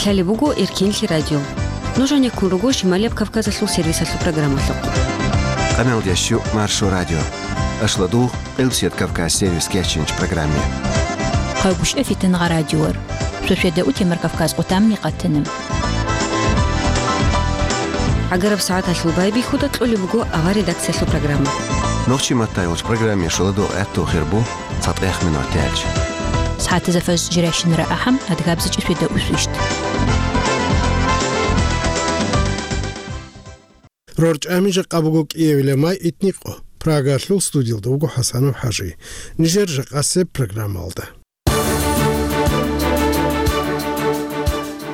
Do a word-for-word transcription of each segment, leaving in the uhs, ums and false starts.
Лъалеб буго Эркенлъи радио. Нуж гьанеккун руго Шималияб Кавказалъул сервисалъул программалъухъ. Къамел ящу Маршо радио. Ашладугъ Къилсият Кавказ сервис кечинч программе. Хъагуш эфитан гъа радиор. Шошведа утемар Кавказ къутамни къатана. ГӀагараб сагӀаталъул байбихьуда кьолеб буго авар редакциялъул программа. Нохчи маттай вуч программе шуладугъ гӀатту хирбу. ЦатӀех минут тяч. СагӀатазда фаз жирайщинара ахӀам, адгабзичӀи сведа усвищт. РорчӀами жакъа буго кӀиявила май итникъо. Прагалъул студиялда вуго ХӀасанов ХӀажи. Нижер жакъасеб программалда.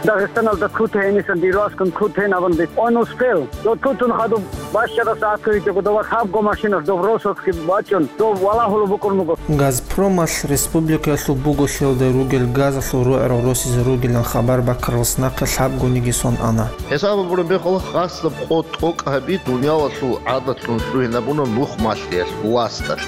Дагъистаналда куту гьенисан дирваскун куту гьенабун бит. Он успел. Дот кутун хадуб бащада сагӀат кквечӀого дова хабго машинаш дов росовски бачӀун, дов валагьулеб букӀун буго. Газпромалъ республикаялъул буголъиялда ругел газалъул рогӀерал росизе ругилан хабар баккаралас нахъе лъабгониги сон ана. ХӀисаб гьабураб мехалъ, хасаб къо тӀокӀ гьаби дуниялалъул гӀадатлъун лъугьинабуна нух малъиялъ, власталъ.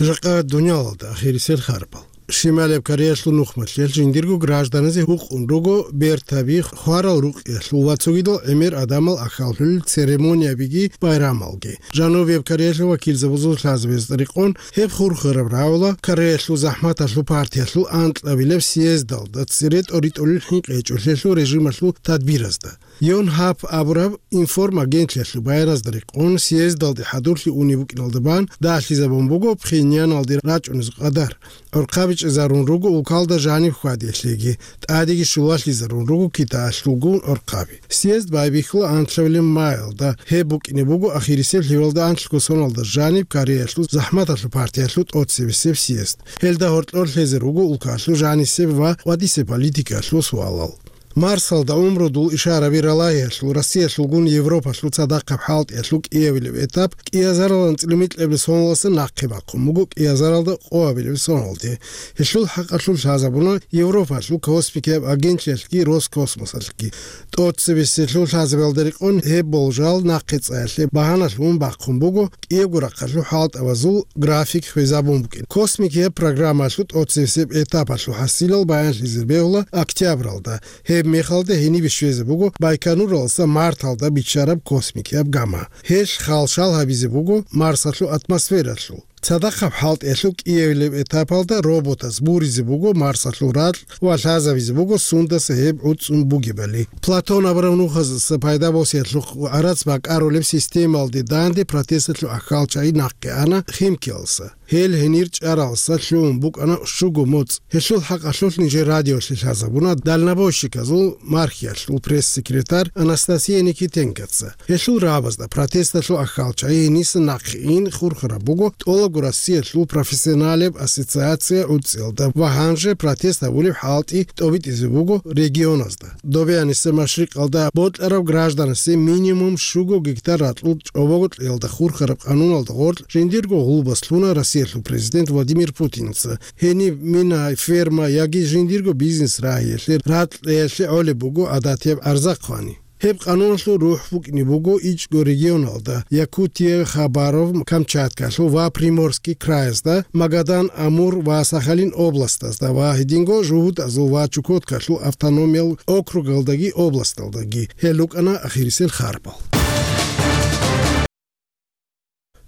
Жакъа дуниялалда ахирисел харбал. Шималияб Кореялъул нухмалъиялъ жиндирго гражданазе гьукъун руго бертаби хварал рукъиялъул ва цогидал гӀемер адамал ахӀаллъулел церемониябиги байрамалги. Жанубияб Кореялъул вакилзабазул лъазабазда рекъон гьеб хурхараб рагӀула Кореялъул захӀматалъул партиялъул анкьабилеб съездалда цере тӀоритӀулел хӀинкъичӀолъиялъул режималъул тадбиразда. Йонхап абураб информагентлъиялъул баяназда рекъон, съездалде хӀадурлъи унеб букӀиналда бан дагьлъизабун буго Пхеньяналде рачӀунез къадар. ГӀорхъаби чӀезарун руго улкалда жаниб хьвадиялъеги, тӀадеги щулалъизарун руго Китаялъулгун гӀорхъаби. Съезд байбихьула анлъабилеб маялда, гьеб букӀине буго ахирисеб лъивалда анлъго соналда жаниб Кореялъул захӀматалъул партиялъул тӀоцебесеб съезд. Гьелда гьоркьор лъезе руго улкалъул жанисеб ва къватӀисеб политикаялъул суалал. Марсалда гӀумрудул ишараби ралагьиялъул, Россиялъулгун Европалъул цадахъаб хӀалтӀиялъул кӀиявилеб этап кӀиазаралан цӀилмикьабилеб соналдаса нахъе бахъун буго кӀиазаралда къоабилеб соналде. Гьелъул хӀакъалъулъ лъазабуна Европалъул космикияб агентлъиялъги Роскосмосалъги. ТӀоцебесеб лъазабиялда рекъон гьеб болжал нахъе цӀаялъе багьаналъун бахъун буго кӀиябго рахъалъул хӀалтӀабазул график хвезабун букӀин. Космикияб программаялъул тӀоцебесеб этапалъул хӀасилал баянлъизе бегьула октябралда. Гьеб мехалда гьенибе щвезе буго Байконуралдаса Марталда биччараб космикияб гама. Гьелъ халшал гьабизе буго Марсалъул атмосфералъул. Цадахъаб хӀалтӀиялъул кӀиявилеб этапалда роботаз буризе буго Марсалъул ракь ва лъазабизе буго сундаса гьеб гӀуцӀун бугебали. Платон абураб нухаздаса пайда босиялъухъ гӀарац бакӀарулеб системалде данде протесталъул ахӀалчагӀи нахъе ана Химкиялдаса. Гьел гьенир чӀаралдаса лъугӀун букӀана щуго моцӀ. Гьелъул хӀакъалъулъ нижер радиолъе лъазабуна дальнобойщиказул мархиялъул пресс-секретарь Анастасия Никитенкоца. Гьелъул рагӀабазда протесталъул ахӀалчагӀи гьениса нахъе ин хурхараб буго тӀолабго Россиялъул профессионалеб ассоциация гӀуцӀиялда ва гьанже протест гьабулеб хӀалтӀи тӀобитӀизе буго регионазда. Добеяниса машрикъалда бокьараб гражданасе минимум щуго гектар ракьул чӀобого кьелда хурхараб къануналда гъоркь жиндирго гъулбас лъуна Россиялъул президент Владимир Путинца. Гьениб мина, ферма яги жиндирго бизнес рагьиялъе ракь кьеялъе гӀолеб буго гӀадатияб гӀарзахъвани. Гьеб къануналъул рухӀ букӀине буго ичӀго регионалда: Якутия, Хабаров, Камчаткалъул ва Приморский краязда, Магадан, Амур ва Сахалин областазда ва гьединго ЖугьутӀазул ва Чукоткалъул автономиял округалдаги областалдаги. Гьел рукӀана ахирисел харбал.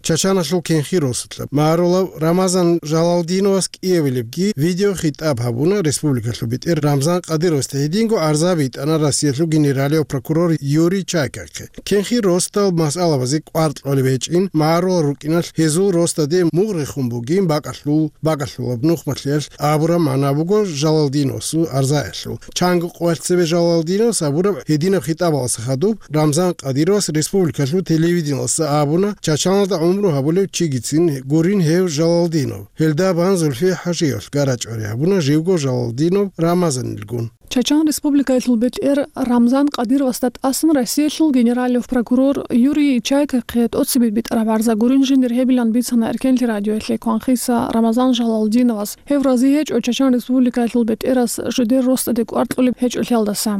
Чачаналъул кенхи росулъа магӀарулав Рамазан Жалалдиновас кӀиявилебги видеохитӀаб гьабуна республикалъул бетӀер Рамзан Кадыровасда, гьединго гӀарза битӀана Россиялъул генералияв прокурор Юрий Чайкахъе. Кенхи росдал масъалабазе кӀвар кьолеб гьечӀин, магӀарулал рукӀиналъ гьезул росдаде мугъ рехун бугин бакӀалъул, бакӀалъулаб нухмалъиялъ абураб магӀна буго Жалалдиновасул гӀарзаялъул. Чанго къоялъ цебе Жалалдиновас абураб гьединаб хитӀабалдаса хадуб Рамзан Кадыровас республикалъул телевидениялдаса абуна, Чачаналда гӀумру гьабулев чигицин гурин гьев Жалалдинов. Гьелда бан Зульфие ХӀажиевалъ гарачӀвари гьабуна, живго Жалалдинов Рамазанилгун. Чачан Республикаялъул бетӀер Рамзан Кадыровасда тӀасан Россиялъул генералияб прокурор Юрий Чайкахъе тӀоцебе битӀараб гӀарза гурин жиндир гьебилан бицана Эркенлъи радиоялъе кванхиса Рамазан Жалалдиновас. Гьев рази гьечӀо Чачан Республикаялъул бетӀерас жидер росдаде кӀвар кьолеб гьечӀолъиялдаса.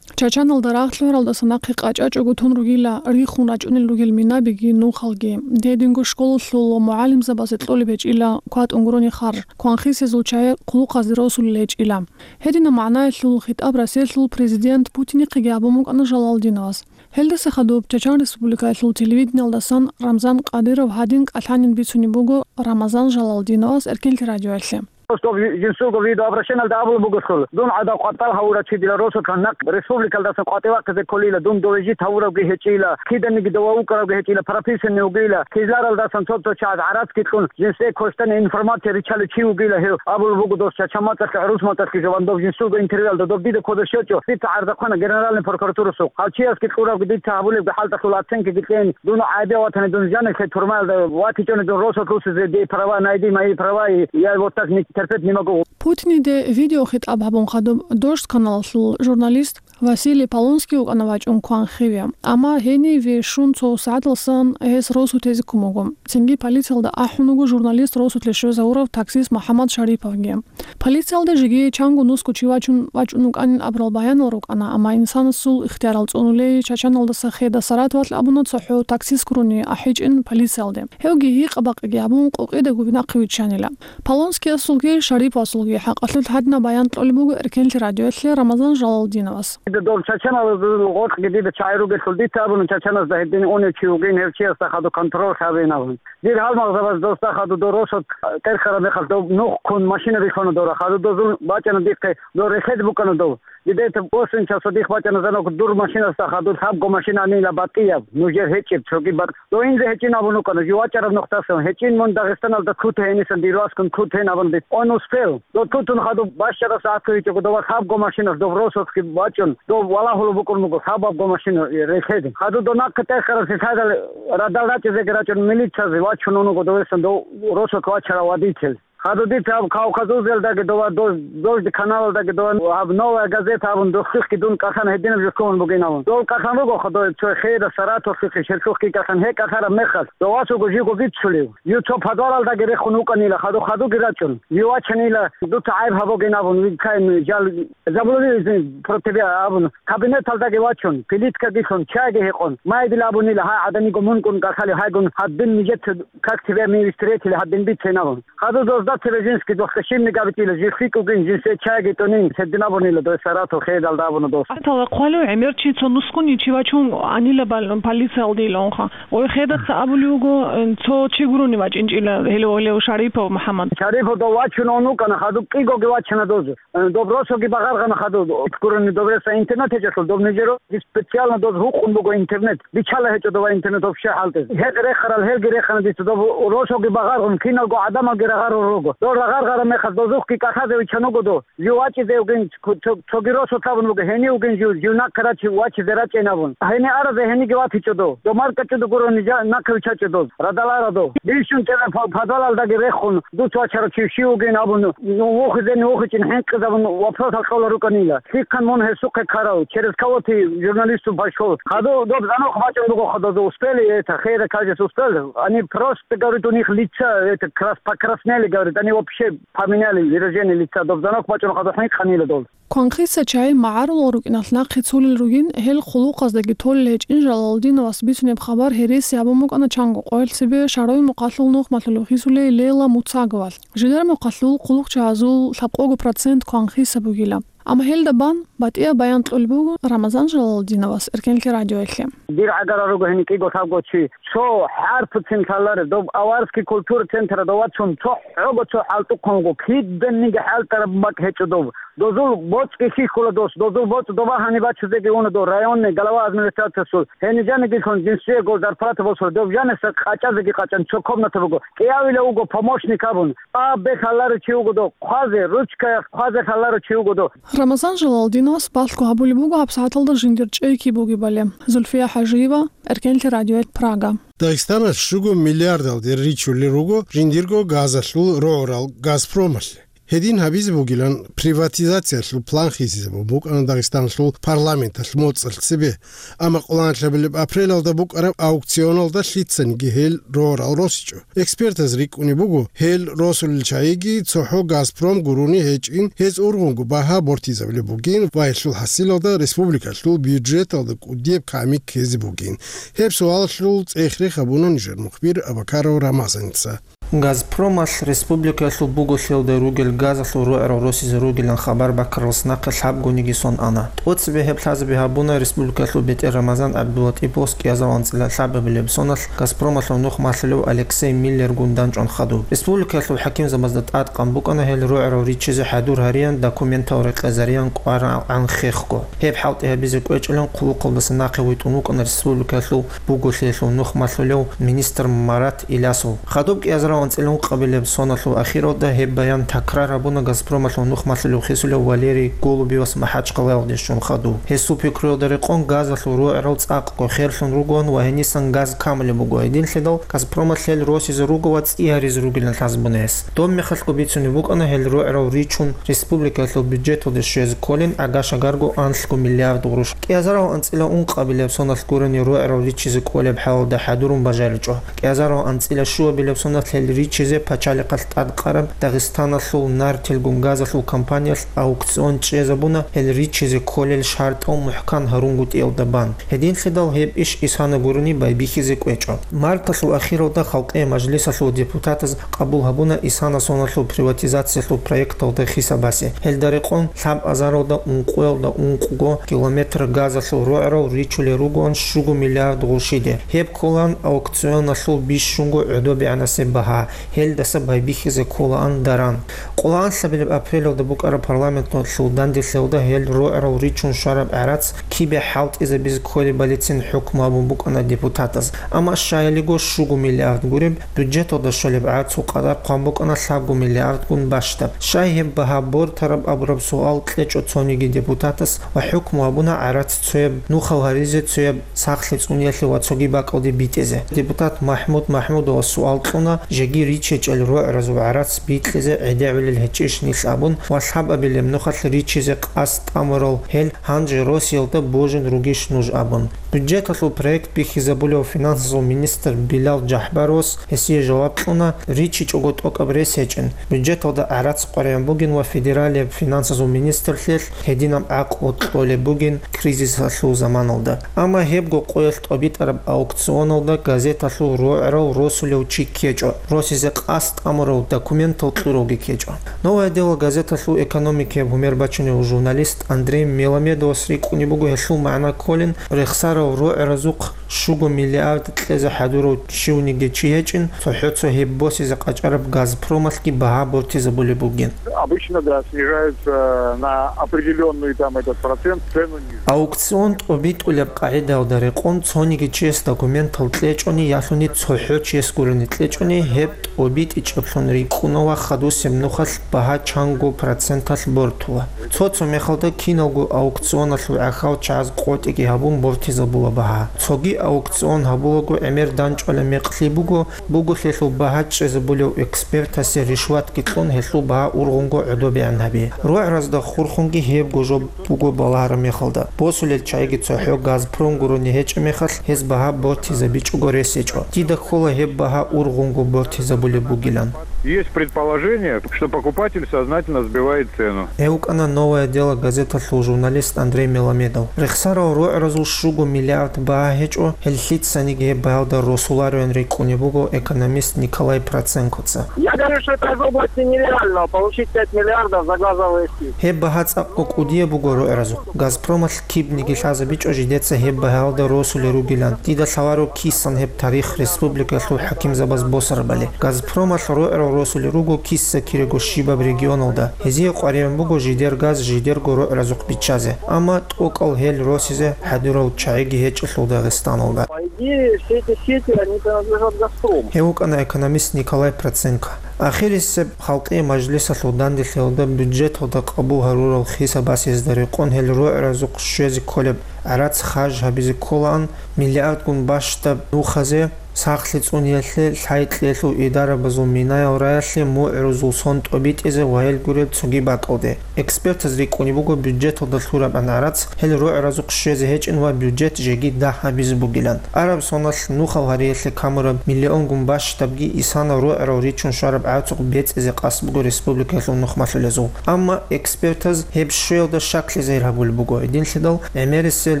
Чачаналда рагъ лъугӀаралдаса нахъе къачӀачӀого тун ругила рихун рачӀунел ругел минабиги нухалги. Гьединго школалъул ва мугӀалимзабазе кьолеб гьечӀила кватӀун гурони харж, кванхисезул чагӀи хъулухъазде росулел гьечӀила. Гьединаб магӀнаялъул хитӀаб Россиялъул президент Путинихъеги гьабун букӀана Жалалдиновас. Гьелдаса хадуб Чачан Республикаялъул телевидениялдасан Рамзан Кадыров гьадин кӀалъанин бицунеб буго Рамазан Жалалдиновас Эркенлъи радиоялъе. Просто жинсулго видеообращениялда абулеб бугелъул, дун гӀадав къватӀал гьавурав чи дила росулъан нахъ республикалдасан къватӀивахъизе кколила, дун дове жит гьавуравги гьечӀила, киданиги дова вукӀаравги гьечӀила, прописанный вугила, кизларалдасан цо-цо чагӀаз гӀарацги кьун, жинсее квешлъани информация риччалев чи вугила гьев. Абулеб буго дос чача мацӀалъе, гӀурус мацӀалъги жо, ва доб жинсулго интервьюялда доб дида кодоб щвечӀо, дица гӀарзахъана Генеральный прокуратурасухъ. Гьав чиясги кьуравги дица гьабулебги хӀалтӀалъул оценкаги кьейин, дун гӀайиб ватани, дун жанихъе турмаялда ватичӀони, дун росулъ русизе, дей права, найди мои права, и я вот так не терпеть не могу. Путиниде видеохитӀаб гьабун хадуб Дождь каналалъул журналист Василий Полонский вукӀана вачӀун кванхиве. Амма гьениве щун цо сагӀаталсан гьес росу тезе ккун буго. Цинги полициялда ахӀун вуго журналист росулъе щвезавурав таксист МухӀаммад Шариповги. Полициялда жеги чанго нусго чи вачун вачӀун вукӀанин абурал баянал рукӀана, амма инсанасул ихтиярал цӀунулей Чачаналдаса Хеда Саратовалъ абуна цохӀо таксист гурони ахӀичӀин полициялде. Гьевги гьикъа-бакъиги гьабун, къукъидаго нахъе виччанила. Полонскиясулги Шариповасулги хӀакъалъулъ гьадинаб баян кьолеб буго Эркенлъи радиоялъе Рамазан Жалалдиновас. Дол чачанал гъоркьги дида чагӀи ругелъул, дица абуна чачаназда гьедин унев чи вугин, гьев чиясда хадув контроль гьабин абун. Дир гьалмагъзабаз досда хадув дол росулъ тӀерхьараб мехалъ доб нух ккун машина рихьуна дора. Хадув дозул бачӀана дихъе, дол рехед букӀана дов. Дидета восемь часов дих бачӀана звонок, дур машинасда хадув лъабго машина анила батӀияб, нужер гьечӀеб, цоги бакӀ. Дов инзе гьечӀин абун вукӀана, жив вачӀараб нухдасан, гьечӀин мун Дагъистаналда ккуте гьенисан дир васкун ккутен абун дит. Он успел. Дов тутун хадуб бащарас гӀатӀуйчӀого, дова лъабго машинас дов росулъги бачӀун, дов валагьулеб букӀун буго лъабабго машина рехеде. Хадуб дов нахъе тӀерхьараб лъадал радал рачӀизеги рачӀун милициязе вачун унуго довесан дов росулъ вачарав водитель. Хадуб дица гьаб Кавказузелдаги дова, Дож-, Дождь каналалдаги дова, гьаб Новая газета абун дохлъихъги дун кӀалъан гьединаб жо лъугьун бугин абун. Дов кӀалъан руго хадув цо хейда Саратовлъухъе, Шелъухъги кӀалъан, гьеб кӀалъараб мехалъ, довас вуго живго бицулев. Жив цо подвалалдаги рехун вукӀанила, хадув хадуги рачӀун. Жив вачанила, дуца гӀайиб гьабугин абун, вилкайин жал, забулули про тебя абун, кабинеталдаги вачун, плиткаги лъун, чайги гьекъон, майдил абунила, гьай гӀадамиго мункӀун кӀалъали, гьайгун гьадин нижеца как тебя мы встретили, гьадин бицейин абун. Хадув дозда цебе жинский дохлъа щибниги абитӀила, жив лъикӀ вугин, жинсее чайги тӀунин, гьедин абунила дой Саратов хейдалда абуна дос. Атала хъвалев гӀемер чи цо нусгуни чи вачун анила бал-, полициялде иланха. Ой, хедаса абулев вуго, э, цо чи гурони вачӀинчӀила гьелев, гьелев Шарипов МухӀаммад. Шарипов дов вачун он вукӀана, хадуб кӀигоги вачана дозу. Э, доб росоги багъаргъана хадуб, гурони доб реса интернет гьечӀелъул, доб нижер специально доз гьукъун буго интернет. Бичала гьечӀо дова интернет вообще хӀалтӀизе. Гьел рехарал, гьелги рехана дица доб росоги багъаргъун, киналго гӀадамалги рагъарун руго. Дол рагъаргъараб мехалъ дозухъги кӀалъазе вичан вуго дов. Жив вачӀизе вугин, цо-, цо-, цоги росулъ абун буго, гьенив вугин жив, жив нахъе рачи-, вачизе рачӀейин абун. Гьенив аразе гьениги ватичӀо дов. Дов маркӀачӀуда гурони жа-, нахъе вичачӀо дов. Радал ара дов. Бищун тӀера по-, подвалалдаги рехун, дуц вачарав чи щив вугин абун, ну, вухизени вухичӀин хӀинкъизабун вопросал кьола рукӀанила. Лъихъан мун гьесухъе ккарав, через кого ты журналисту пошёл? Хадув доб звонок бачӀун буго хадув, успели это, хейра кажется, успели. Они просто, говорит, у них лица, это, крас-, покраснели, говорит, они вообще поменяли выражение лица, доб звонок бачӀун хадув хӀинкъанила дол. Кванхиса чагӀи магӀарулал рукӀиналъ нахъе цулел ругин, гьел хъулухъаздаги толел гьечӀин Жалалдиновас бицунеб хабар гьереси гьабун букӀана чанго къоялъ цебе Шарой мухъалъул нухмалъулев хисулей Лейла Муцаговалъ. Жидер мухъалъул хъулухъчагьазул лъабкъого процент кванхиса бугила. Амма гьелда бан батӀияб баян кьолеб буго Рамазан Жалалдиновас Эркенлъи радиоялъе. Дир гӀагара руго гьеникӀиго лъабго чи. Цо хӀарпуцин лъаларе, доб аварский культура центрада вацун, цо хӀого цо хӀалтӀухъун вуго, киданиги хӀалтӀараб бакӀ гьечӀо доб. Дозул боцӀги хьихьула дос, дозул боцӀ доба гьаниб бачузеги уна дов, районный глава администрациясул. Гьенижанигилъун жинсиего зарплата босула, доб жаниса къачӀазеги къачӀан, цо комната буго. КӀиявила вуго помощник абун. Абе лъаларо чи вуго дов, хъвазе, ручкаях хъвазе лъаларо чи вуго дов. Рамазан Жалалдиновас балъго гьабулеб буго гьабсагӀаталда жиндир чӀей киб бугебали. Зульфия ХӀажиева, Эркенлъи радиоялъ, Прага. Дагъистаналъ щуго миллиардалде ричулел руго жиндирго газалъул рогӀурал Газпромалъе. Гьедин гьабизе бугилан приватизациялъул план хисизабун букӀана Дагъистаналъул парламенталъ моцӀалъ цебе, амма къоло ноябрилеб апрелалда букӀараб аукционалда лъицаниги гьел рогьарал росичӀо. Экспертаз рикӀкӀунеб буго, гьел росулел чагӀиги цохӀо «Газпром» гурони гьечӀин, гьез ургъунго багьа бортизабулеб бугин ва гьелъул хӀасилалда республикалъул бюджеталда кӀудияб ками ккезе бугин. Гьеб суалалъул цӀех-рех гьабуна нижер мухбир Абакаров Рамазаница. «Газпромалъ» республикалъул буголъиялда ругел газалъул рогӀарал росизе ругилан хабар баккаралдаса нахъе лъабгониги сон ана. ТӀоцебе гьеб лъазаби гьабуна республикалъул бетӀер Рамазан ГӀабдулатӀиповас кӀиазарал анцӀила лъабабилеб соналъ «Газпромалъул» нух малъулев Алексей Миллергун данчӀван хадуб. Республикалъул хӀакимзабазда тӀадкъан букӀана гьел рогӀарал ричизе хӀадур гьариян, документал рекъезариян кӀварагӀан хехго. Гьеб хӀалтӀи гьабизе кӀвечӀилан хъулухъалдаса нахъе витӀун вукӀана республикалъул буголъиялъул нух малъулев министр Марат Илясов. Хадуб кӀиазарал анцӀила ункъабилеб соналъул ахиралда гьеб баян такрар гьабуна «Газпромалъул» нух малъулев хисулев Валерий Голубевас МахӀачхъалаялде щун хадуб. Гьесул пикруялда рекъон газалъул рогӀарал цӀакъго херлъун ругоан ва гьенисан газ камулеб буго. Гьединлъидал «Газпромалъ» гьел росизе руго ва цӀи гьаризе ругилан лъазабуна гьес. Доб мехалъго бицунеб букӀана гьел рогӀарал ричун республикалъул бюджеталде щвезе кколин агаш-агарго анлъго миллиард гъурущ. КӀиазарал анцӀила ункъабилеб соналъ гурони рогӀарал ричизе кӀолеб хӀалалда хӀадурун бажаричӀо. КӀиазарал анцӀила щуабилеб соналъ гьел ричизе пачалихъалъ тӀадкъараб Дагъистаналъул «Нартилгун» газалъул компаниялъ аукцион чӀезабуна гьел ричизе кколел шартӀал мухӀкан гьарунгутӀиялда бан. Гьединлъидал гьеб иш исана гурони байбихьизе кӀвечӀо. Марталъул ахиралда Халкъиял мажлисалъул депутатаз къабул гьабуна исана соналъул приватизациялъул проекталда хисабасе. Гьелда рекъон лъабазаралда ункъоялда ункъго километр газалъул рогӀарал ричулел ругоан щуго миллиард гъурщиде. Гьеб кколаан аукционалъул бищунго гӀодобегӀанасеб багьа, гьелдаса байбихьизе кколаан даран. Къоло анлъабилеб апрелалда букӀараб парламенталъул данделъиялда гьел рогӀарал ричун щвараб гӀарац кибе хӀалтӀизабизе кколебалицин хӀукму гьабун букӀана депутатаз. Амма щаялиго щуго миллиард гуреб бюджеталда щолеб гӀарцул къадар хъван букӀана лъабго миллиардгун бащдаб. Щай гьеб багьа бортараб абураб суал кьечӀо цониги депутатас ва хӀукму гьабуна гӀарац цояб нухал гьаризе, цояб сахлъи цӀуниялъе ва цоги бакӀалде битӀизе. Депутат МахӀмуд МахӀмудовас суал кьуна, жеги ричичӀел рогӀразул гӀарац бикьизе гӀедегӀулел гьечӀищ нилъ абун ва лъабабилеб нухалъ ричизе къасд тӀамурал гьел гьанже Россиялда божун ругищ нуж абун. Бюджеталъул проект бихьизабулев финансазул министр Билал ЖахӀбаровас гьесие жаваб кьуна, ричичӀого тӀокӀаб рес гьечӀин, бюджеталда гӀарац къваригӀун бугин ва федералияб финансазул министрлъиялъ гьединаб гӀакълу кьолеб бугин кризисалъул заманалда. Амма гьебго къоялъ тӀобитӀараб аукционалда газеталъул рогӀрал росулев чи ккечӀо, росизе къасд тӀамурав документал кьуравги ккечӀо. «Новое дело» газеталъул экономикияб гьумер бачунев журналист Андрей Меламедовас рикӀкӀунеб буго гьелъул магӀна кколин, рехсарал рогӀразухъ щуго миллиард кьезе хӀадурав щивниги чи гьечӀин, цохӀо-цо гьеб босизе къачӀараб «Газпромалъги» багьа бортизабулеб бугин. Обычно, да, снижаются на определённый там этот процент, цену ниже. Аукцион тӀобитӀулеб къагӀидаялда рекъон цониги чияс документал кьечӀони, ялъуни цохӀо чияс гурони кьечӀони, гьеб тӀобитӀичӀеблъун рикӀкӀуна ва хадусеб нухалъ багьа чанго проценталъ бортула. Цо-цо мехалда киналго аукционалъул гӀахьал чагӀаз къотӀиги гьабун бортизабула багьа. Цоги аукцион гьабулаго гӀемер данчӀвала мекълъи буго, буголъелъул багьа чӀезабулев экспертасе ришватги кьун гьелъул багьа ургъунго гӀодобегӀан гьаби. РогӀразда хурхунги гьебго жо буго балагьараб мехалда, босулел чагӀиги цохӀо «Газпром» гурони гьечӀеб мехалъ, гьез багьа бортизабичӀого рес гьечӀо. Дида ккола гьеб багьа ургъунго бортизабулеб бугилан. Есть предположение, что покупатель сознательно сбивает цену. Гьев вукӀана «Новое дело» газеталъул журналист Андрей Меламедов. Рехсарал рогӀразул щуго миллиард багьа гьечӀо, гьел лъицаниги гьеб багьалда росулареван рикӀкӀунеб буго экономист Николай Проценкоца. Я говорю, что это из области нереального, получить пять миллиардов за газовые скидки. Гьеб багьа цӀакъго кӀудияб буго рогӀразухъ. «Газпромалъ» кибниги лъазабичӀо жидеца гьеб багьалда росулел ругилан. Дида лъаларо кисан гьеб тарих республикалъул хӀакимзабаз босарабали. «Газпромалъ» рогӀрал росулел руго киса-кирего щибаб регионалда. Гьезие къваригӀун буго жидер газ жидерго рогӀразухъ биччазе. Амма тӀокӀал гьел росизе хӀадурал чагӀиги гьечӀелъул Дагъистаналда. По идее, все эти сети, они принадлежат «Газпрому». Гьев вукӀана экономист Николай Проценко. Ахирисеб Халкъиял мажлисалъул данделъиялда бюджеталда къабул гьарурал хисабасезда рекъон гьел рогӀразухъ щвезе кколеб гӀарац харж гьабизе кколаан миллиардгун бащдаб нухазе, Сахлъи цӀуниялъе лъай-кьеялъул идарабазул минаял раялъе мугӀрузул сон тӀобитӀизе ваял гуреб цоги бакӀалде. Экспертаз рикӀкӀунеб буго бюджеталда лъурабгӀан гӀарац гьел рогӀразухъ щвезе гьечӀин ва бюджет жеги дагь гьабизе бугилан. Араб соналъ нухал гьариялъе камураб миллионгун бащдабги исана рогӀрал ричун щвараб гӀацукъ бецӀизе къасд буго республикаялъул нухмалъулезул. Амма экспертаз гьеб щвеялда щаклъизе гьабулеб буго, гьединлъидал гӀемерисел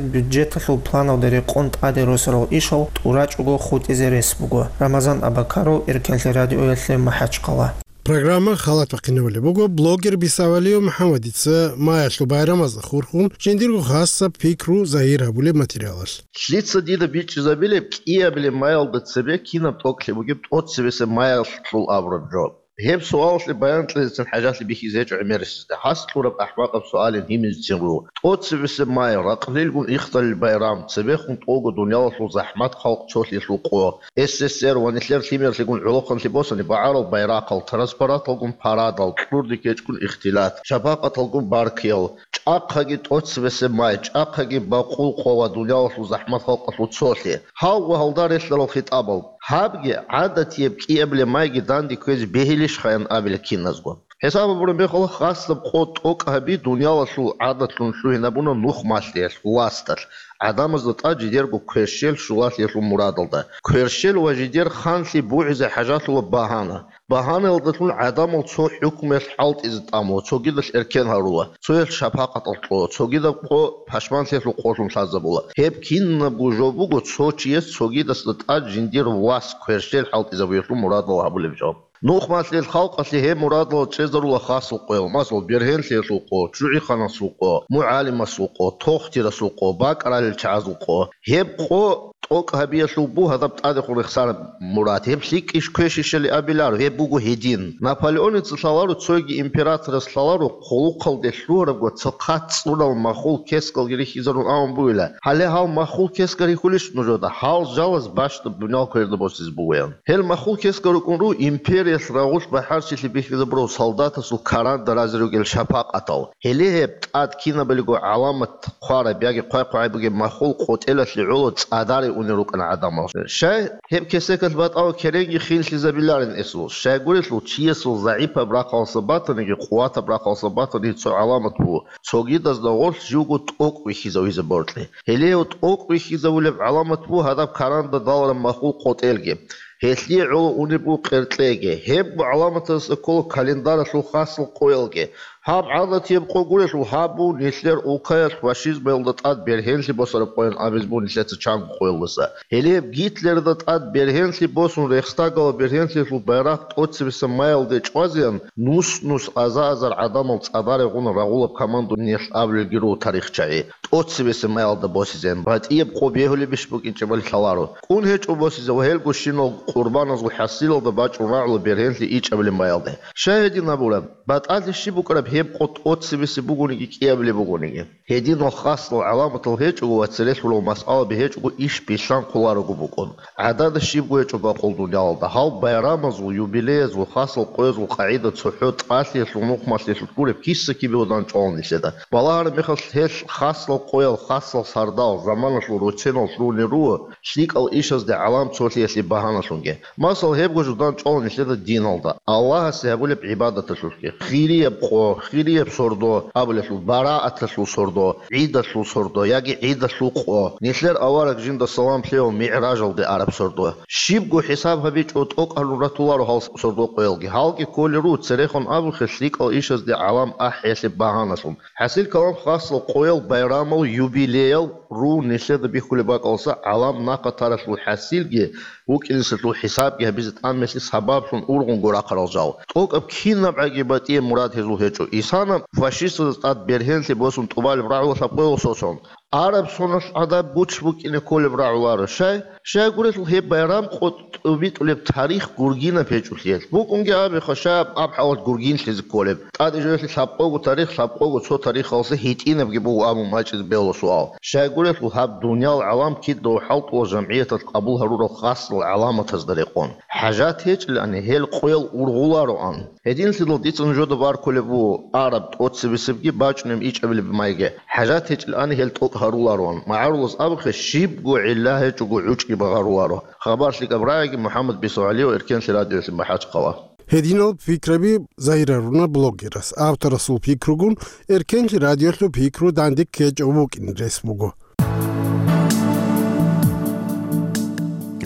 бюджеталъул планалда рекъон тӀаде росарал ишал тӀурачӀого хутӀизе рес буго. Рамазан Абакаров, Эркенлъи радиоялъе МахӀачхъала. Программа халат бахъинабулеб буго блогер Бисавалиев МухӀаммадица маялъул байрамазда хурхун жиндирго хасаб пикру загьир гьабулеб материалалъ. Лъица дида бичӀчӀизабилеб кӀиабилеб маялда цебе кинаб тӀокӀлъи бугеб тӀоцебесеб маялъул абураб жо? Гьеб суалалъе баян кьезецин хӀажалъи бихьизе гьечӀо гӀемерисезда. Гьас кьураб ахӀмакъаб суалин гьимизецин руго. ТӀоцебесеб май, ракълилгун ихтарил байрам, цебехун тӀолго дуниялалъул захӀмат халкъ цолъиялъул къо, СССР ва нилъер лъимерлъигун гӀолохъанлъи босани багӀарал байрахъал, транспаранталгун парадал, кьурдихьечӀгун ихтилат, шапакъаталгун баркиял, чӀахъаги тӀоцебесеб май, чӀахъаги бакъул къо ва дуниялалъул захӀмат халкъалъул цолъи, гьав ва гьалда релълъарал хитӀабал. Гьабги гӀадатияб кӀиабилеб майги данде кквезе бегьилищ хаян абила киназго. ХӀисаб гьабураб мехалъ, хасаб къо тӀокӀ гьаби дуниялалъул гӀадатлъун лъугьинабуна нухмалъиялъ, власталъ, гӀадамазда тӀад жидерго кверщел щулалъиялъул мурадалда. Кверщел ва жидер ханлъи бугӀизе хӀажалъула багьана. Багьанаялдалъун гӀадамал цо хӀукмуялъ хӀалтӀизе тӀамула, цогидалъ эркен гьарула, цояс шапакъатал кьола, цогидаб къо пашманлъиялъул къолъун лъазабула. Гьеб кинабго жо буго цо чияс цогидасда тӀад жиндир вас кверщел хӀалтӀизабиялъул мурадал гьабулеб жо. Нухмалъил халкъалъе гьеб мурадал чӀезарула хасал къоял, масал, бергьенлъиялъул къо, чӀужугӀаналъул къо, мугӀалимасул къо, тохтирасул къо, бакӀаралел чагӀазул къо. Гьеб къо тӀокӀ гьабиялъул буго гьадаб тӀадехун рехсараб мурад. Гьеб лъикӀищ квешищали абиларо, гьеб буго гьедин. Наполеоница лъаларо, цоги императорас лъаларо, хъулухъалде лъугьарабго цохъат цӀунал махул кескалги рихьизарун абун бугила. Гьале гьал махул кескал рихьулищ нужеда? Гьал жалаз бащдаб дуниял кверда босизе бугоян. Гьел махул кескал рукӀун руго империялъ рагъулъ бахӀарчилъи бихьизабурал солдатасул каранда разе ругел шапакъатал. Гьеле гьеб тӀад кинабалиго гӀаламат хъвараб яги хъвай-хъвай бугеб махул къотӀелалъе гӀоло цӀадаре унел рукӀана гӀадамал. Щай гьеб кесекалъ батӀав керенги хинлъизабиларин эсул? Щайгурелъул чиясул загӀипаб рахъалса батаниги, къуватаб рахъалса батаниги цо гӀаламат буго, цогидазда гъорлъ живго тӀокӀ вихьизавизе боркье. Гьеле гьев тӀокӀ вихьизавулеб гӀаламат буго гьадаб каранда далараб махул къотӀелги. Гьелъие гӀоло унеб буго къеркьеги. Гьебго гӀаламаталдаса ккола календаралъул хасал къоялги. Гьаб гӀадатияб къо гурелъул, гьаб буго нилъер улкаялъ фашизмалда тӀад бергьенлъи босараб къоян абизе буго нилъеца чанго къоялдаса. Гьеле гьеб Гитлерда тӀад бергьенлъи босун, Рейхстагалда бергьенлъиялъул байрахъ тӀоцебесеб маялде чӀвазеян, нус-нус, аза-азар гӀадамал цӀадаре гъун рагъулаб командуниялъ абулелги руго тарихчагӀи. ТӀоцебесеб маялда босизеян батӀияб къо бегьулебищ букӀинчӀебали лъаларо. КӀун гьечӀо босизе ва гьелго щинал къурбаназул хӀасилалда бачӀун рагӀула бергьенлъи ичӀабилеб маялде. Щай гьедин абураб? БатӀалъи щиб букӀараб гьеб къо тӀоцебесеб бугониги кӀиабилеб бугониги? Гьединал хасал гӀаламатал гьечӀого ва цере лъурал масъалаби гьечӀого иш билълъанхъуларого букӀун. ГӀадада щибго гьечӀо бакъул дуниялалда. Гьал байрамазул, юбилеязул, хасал къоязул къагӀида цохӀо тӀалъиялъул, нухмалъиялъул гуреб киса-кибе гьудан чӀвала нилъеда. Балагьараб мехалъ гьел хасал къоял, хасал сардал заманалъул роценал лъугьунел руго лъикӀал ишазде гӀалам цолъиялъе багьаналъунги. Масал, гьебго жудан чӀвала нилъеда диналда, Аллагьасе гьабулеб гӀибадаталъулъги, хирияб къо, хирияб сордо абулелъул, барааталъул сордо, гӀидалъул сордо яги гӀидалъул къо, нилъер авараг жинда салам лъеяв мигӀражалде араб сордо. Щибго хӀисаб гьабичӀо, тӀокӀ гьарун ратуларо гьал сордо къоялги. Гьалги кколел руго, церехун абухъе, лъикӀал ишазде гӀалам ахӀиялъе багьаналъун. ХӀасил калам, хасал къоял, байрамал, юбилеял руун нилъеда бихьулеб бакӀалса гӀалам нахъа таралъул хӀасилги вукӀинесалъул хӀисабги гьабизе тӀамелъи сабаблъун ургъунго рахъарал жал. ТӀокӀаб кинаб гӀаги батӀияб мурад гьезул гьечӀо. Исана фашистазда тӀад бергьенлъи босун тӀубалеб рагӀула лъабкъоялъ соцун. Араб соналъ гӀадаб гуч букӀине кколеб рагӀуларо. Щай? Щайгурелъул гьеб байрам къо тӀубитӀулеб тарих гургинаб гьечӀолъиялъ. БукӀунги абиха, щай аб хӀалат гургинлъизе кколеб? ТӀаде жоялъе лъабкъого тарих, лъабкъого цо тарихалъе гьитӀинабги буго абун бачӀизе бегьула суал. Щайгурелъул гьаб дуниял гӀалам кидаго хӀалтӀула жамгӀияталъ къабул гьарурал хасал гӀаламатазда рекъон. ХӀажат гьечӀилани гьел къоял ургъулароан. Гьединлъидал дица нужеда баркулеб буго араб тӀоцебесебги бачӀунеб ичӀабилеб майги. ХӀажат гьечӀилани гьел тӀокӀ гьарулароан. МагӀарулас абухъе, щибго гӀилла гьечӀого гӀучӀги багъаруларо. Хабар лъикӀаб рагӀиги, МухӀаммад БицогӀалиев, Эркенлъи радиоялъе, МахӀачхъала. Гьединал пикраби загьируна блогерас. Авторасул пикругун Эркенлъи радиоялъул пикру данде ккечӀев вукӀин рес буго.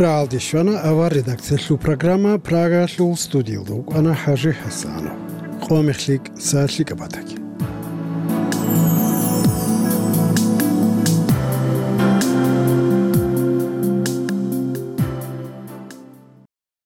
РагӀалде щвана авар редакциялъул программа, Прагаялъул студиялда вукӀана ХӀажи ХӀасанов. Къо мехлъи, са лъикӀаб батаги.